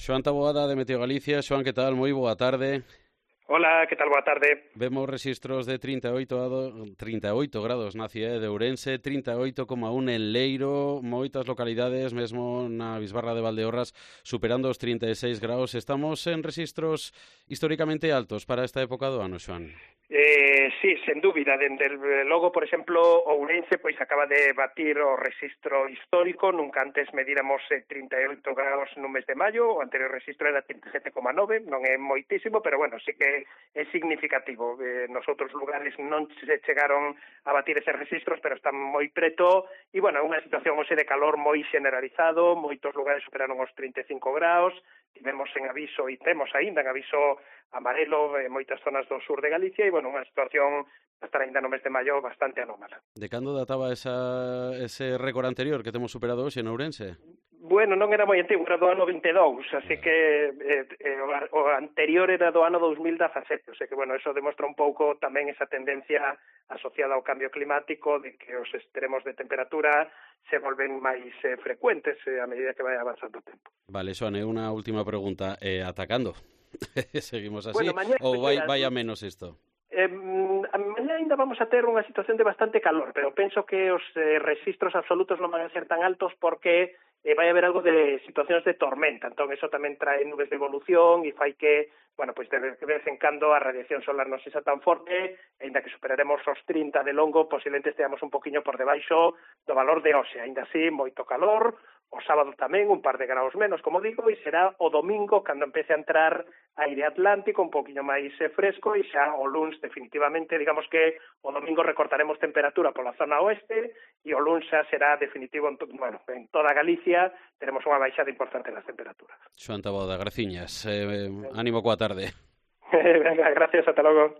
Xoan Taboada de Meteo Galicia. Xoan, que tal? Moi boa tarde. Hola, que tal? Boa tarde. Vemos registros de 38 grados na cidade de Ourense, 38,1 en Leiro, moitas localidades, mesmo na Bisbarra de Valdeorras, superando os 36 graus. Estamos en registros históricamente altos para esta época do ano, Xoan. Sí, sen dúbida, dende logo, por exemplo, Ourense pois acaba de batir o rexistro histórico. Nunca antes medíramos 38 graus no mes de maio, o anterior rexistro era 37,9, non é moitísimo, pero bueno, sí que é significativo. Nos outros lugares non se chegaron a batir eses rexistros, pero están moi preto, e bueno, é unha situación hoxe de calor moi generalizado, moitos lugares superaron os 35 graus, tivemos en aviso, e temos aínda en aviso amarelo en moitas zonas do sur de Galicia, e bueno, unha situación a estar aínda no mes de maio bastante anómala. De cando databa ese récord anterior que temos superado hoxe en Ourense? Bueno, non era moi antigo, era do ano 22, así que o anterior era do ano 2017, o sea que, bueno, eso demostra un pouco tamén esa tendencia asociada ao cambio climático, de que os extremos de temperatura se volven máis frecuentes a medida que vai avanzando o tempo. Vale, Xoan, unha última pregunta. Atacando? Seguimos así? Bueno, mañá, Ou vai a menos isto? Mañá ainda vamos a ter unha situación de bastante calor, pero penso que os rexistros absolutos non van a ser tan altos porque vai haber algo de situacións de tormenta, entón eso tamén trae nubes de evolución e fai que, bueno, pois de vez en cando a radiación solar non sexa tan forte, ainda que superaremos os 30 de longo, posiblemente esteamos un poquinho por debaixo do valor de hoxe, ainda así moito calor. O sábado tamén un par de graus menos, como digo, e será o domingo cando empece a entrar aire atlántico un poquinho máis fresco, e xa o luns definitivamente, digamos que o domingo recortaremos temperatura pola zona oeste e o luns xa será definitivo en toda Galicia, teremos unha baixada importante nas temperaturas. Xoan Taboada, graciñas. Ánimo coa tarde. Venga, gracias, ata logo.